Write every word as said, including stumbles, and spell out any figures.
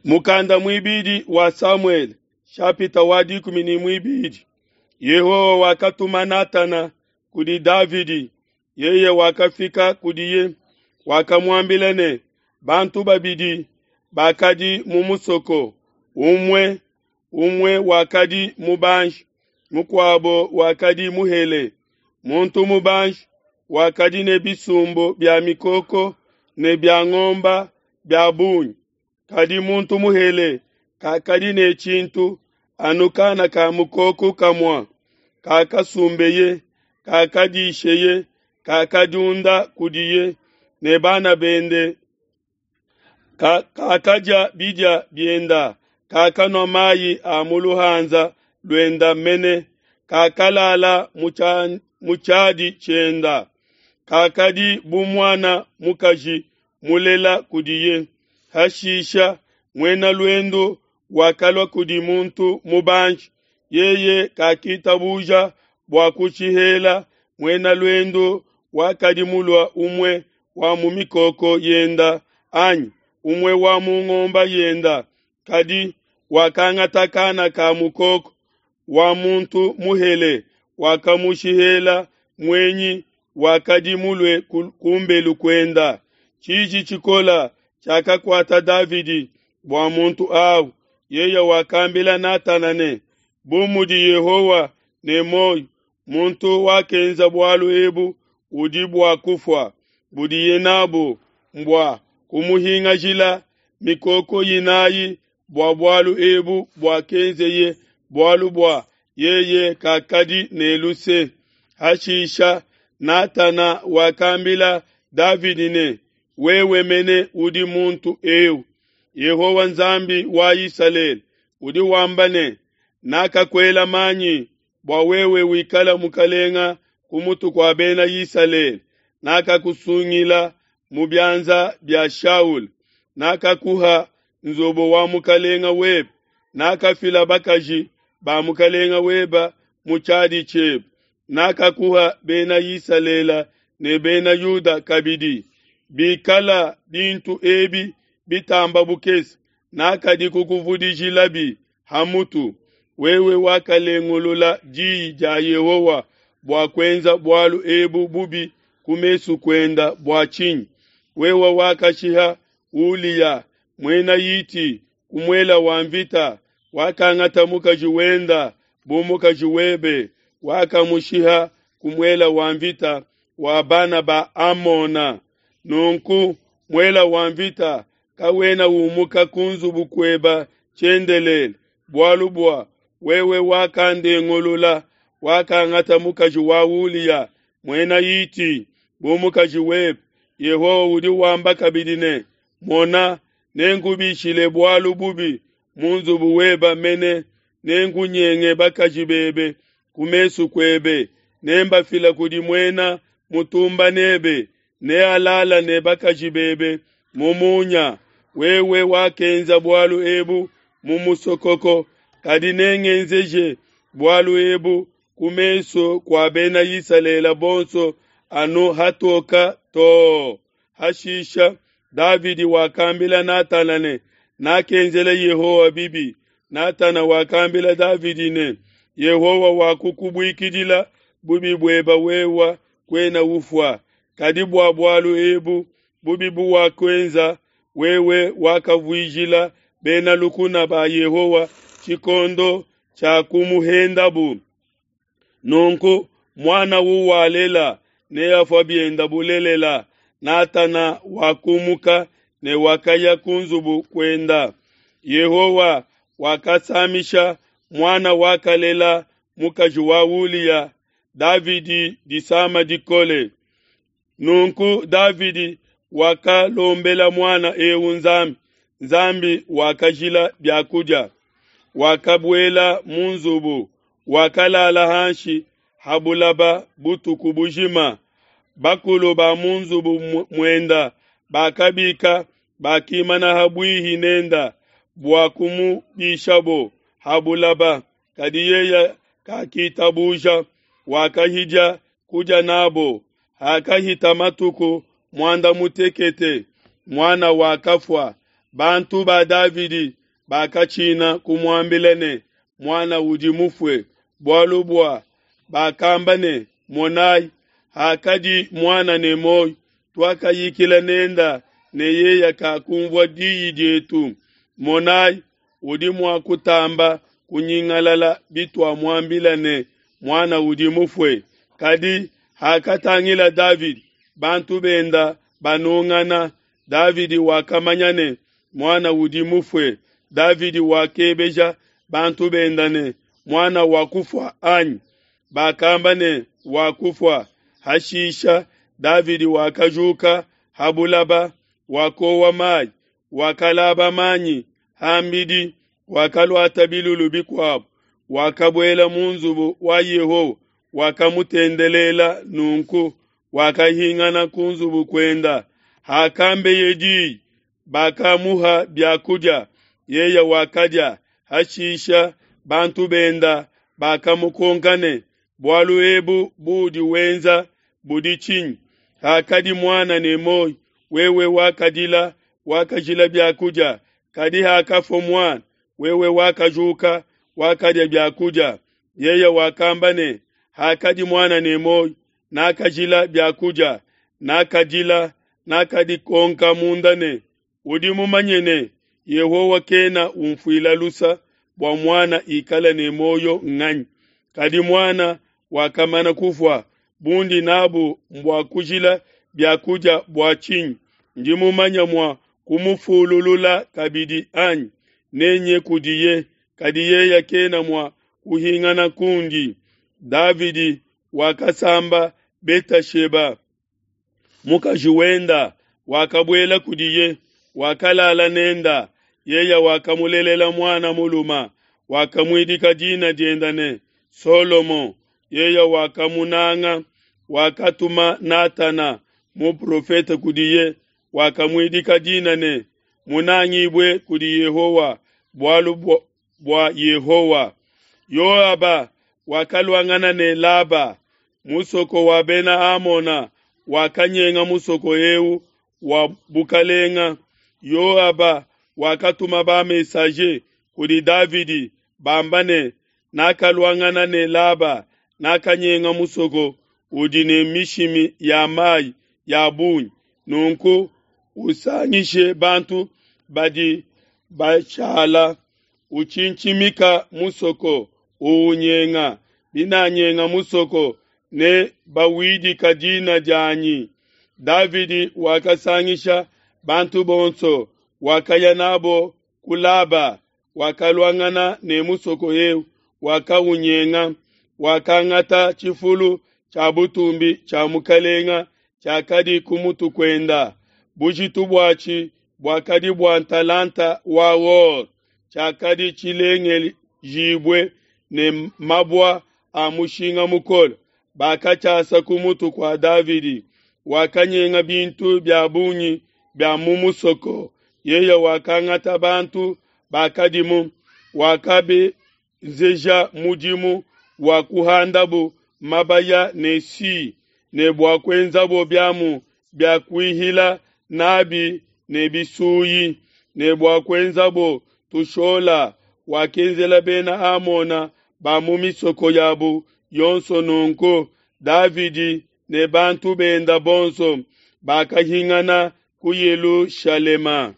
Mukanda muibidi wa Samuele, shapita wa dikumi ne muibidi. Yehowa wakatuma Natana kudi Davidi. Yeye wakafika kudiye, wakamuambila ne, bantu babidi bakadi mu musoko, umue umue wakadi mubanji, mukuabo wakadi muhele. Muntu mubanji wakadi ne bisumbu bia mikoko ne bia ngombe bia bungi, kadi muntu muhele kakadi ne tshintu anu kana ka mukoko kamue kakasumbeye, kakadisheye, kakadiunda kudiye ne bana bende, kakadia bidia bienda, kakanua mayi a mu luhanza luenda mene, kakalala mu tshiadi tshienda, kakadi bu muana mukaji mulela kudiye. Hashisha muena luendu wakalua kudi muntu mubanji, yeye kakitabuja bua kushihela muena luendu wakadi mulue umue wa mu mikoko yenda anyi umue wa mu ngombe yenda, kadi wakangata kana ka mukoko wa muntu muhele, wakamushihela muenyi wakadi mulue kumbelu kuenda. Tshiji tshikole tshiakakuata Davidi bua muntu au. Yeye wakambila Natana ne, bu mudi Yehowa ne muoyo, muntu wakenza bualu ebu udi bua kufua, budiye nabu mbua kumuhingajila mikoko inayi bua bualu ebu buakenzeye, bualu bua yeye kakadi ne luse. Hashisha Natana wakambila Davidi ne, wewe mene udi muntu eu. Yehowa Nzambi wa Isalele udi wamba ne, nakakuela manyi bua wewe wikala mukalenga ku mutu kua bena Isalele, nakakusungila mu bianza bia Shaul, nakakuha nzubu wa mukalenga webe, nakafila bakaji ba mukalenga webe mu tshiadi tshiebe, nakakuha bena Isalele ne bena Yuda kabidi. Bikala bintu ebi bitamba bukese, nakadi kukuvudijilabi ha mutu. Wewe wakalengulula diyi dia Yehowa bua kuenza bualu ebu bubi ku mesu kuenda bua tshinyi? Wewe wakashiha Uliya muena Hiti ku muele wa mvita, wakangata mukaji wenda bu mukaji webe, wakamushiha ku muele wa mvita wa bana ba Amona. Nunku muele wa mvita kawena umuka ku nzubu kueba tshiendelele, bualu bua wewe wakandengulula, wakangata mukaji wa Uliya muena Hiti bu mukaji webe. Yehowa udi wamba kabidi ne, mona, nenkubishile bualu bubi mu nzubu weba mene, nenkunyenge bakaji bebe ku mesu kuebe, nembafila kudi muena mutumba nebe, nealala ne bakaji bebe mu munya. Wewe wakenza bualu ebu mu musokoko, kadi nengenzeje bualu ebu ku mesu kua bena Isalele bonso anu hatoka too. Hashisha Davidi wakambila Natana ne, nakenzela Yehowa bibi. Natana wakambila Davidi ne, Yehowa wakukubuikidila bubi bueba wewe kuena ufua. Kadi bua bualu ebu bubi buwakuenza, wewe wakavuijila bena lukuna ba Yehowa tshikondo tshia kumuhendabu. Nunku muana uwalela neafua bienda bulelela. Natana wakumuka ne wakaya ku nzubu kuenda. Yehowa wakasamisha muana wakalela mukaji wa Uliya Davidi disama dikole. Nunku Davidi wakalombela muana eu Nzambi. Nzambi wakajila biakudia, wakabuela mu nzubu, wakalala hanshi ha bulaba butuku bujima. Bakulu ba mu nzubu muenda bakabika, bakimana ha bwihi nenda bua kumubishabo ha bulaba, kadi yeye kakitabuja, wakahidia kudia nabo. Hakahita matuku muanda mutekete, muana wakafua. Bantu ba Davidi bakatshina kumuambila ne, Muana udi mufue, bualu bua bakamba ne, Monai, hakadi muana ne muoyo, tuakayikila nenda ne yeye kakunvua diyi dietu. Monai, udi mua kutamba kunyingalala bituamuambila ne, Muana udi mufue. Kadi hakatangila Davidi bantu benda banungana, Davidi wakamanya ne, Muana udi mufue. Davidi wakebeja bantu benda ne, Muana wakufua, anyi? Bakamba ne, Wakufua. Hashisha Davidi wakajuka ha bulaba, wakowa mai, wakalaba manyi ham'bidi, wakaluata bilulu bikuabo, wakabuela mu nzubu wa Yehowa, wakamutendelela nunku, wakahingana ku nzubu kuenda. Hakambeye diyi, bakamuha bia kudia, yeye wakadia. Hashisha bantu benda bakamukonka ne, Bualu ebu buudi wenza budi tshinyi? Hakadi muana ne muoyo, wewe wakadila, wakajila bia kudia, kadi hakafua muana, wewe wakajuka, wakadia bia kudia. Yeye wakamba ne, Hakadi muana ne muoyo, nakajila bia kudia, nakadila, nakadikonka munda ne, Udi mumanye ne, Yehowa kena unfuila luse bua muana ikale ne muoyo nganyi? Kadi muana wakamana kufua, bundi n'abu mbua kujila bia kudia bua tshinyi? Ndi mumanye mua kumufululula kabidi, anyi? Nenye kudiye, kadi yeye kena mua kuhingana kundi. Davidi wakasamba Betasheba, mukaji wenda, wakabuela kudiye, wakalala nenda. Yeye wakamulelela muana mulume, wakamuidika dina diende ne, Solomo. Yeye wakamunanga, wakatuma Natana muprofete kudiye, wakamuidika dina ne, Munangibue kudi Yehowa, bualu bua Yehowa. Yoaba wakaluangana ne Laba, musoko wa Bena Amona, wakanyenga musoko eu wa bukalenga. Yoaba wakatuma ba messager kudi Davidi bamba ne, Nakaluangana ne Laba, nakanyenga musoko udi ne mishimi ya mai ya bungi. Nunku usangishe bantu badi bashala, utshintshimika musoko, uwunyenga. Binanyenga musoko, ne bawidika dina dianyi. Davidi wakasangisha bantu bonso, wakaya nabo ku Laba, wakaluangana ne musoko eu, wakawunyenga. Wakangata tshifulu tshia butumbi tshia mukalenga tshiakadi ku mutu kuenda, bujitu buatshi buakadi bua ntalanta wa or, tshiakadi tshilengejibue ne mabua a mushinga mukole. Bakatshiasa ku mutu kua Davidi. Wakanyenga bintu bia bungi bia mu musoko. Yeye wakangata bantu bakadimu, wakabenzeja mudimu wa kuhandabo mabaya ne si ne bua kuenzabo biamu bia kuihila nabi ne bisuyi, ne bua kuenzabo tushola. Wakenzela Bena Amona ba mu misoko yabo yonso nunku. Davidi ne bantu benda bonso bakahingana ku Yelushalema.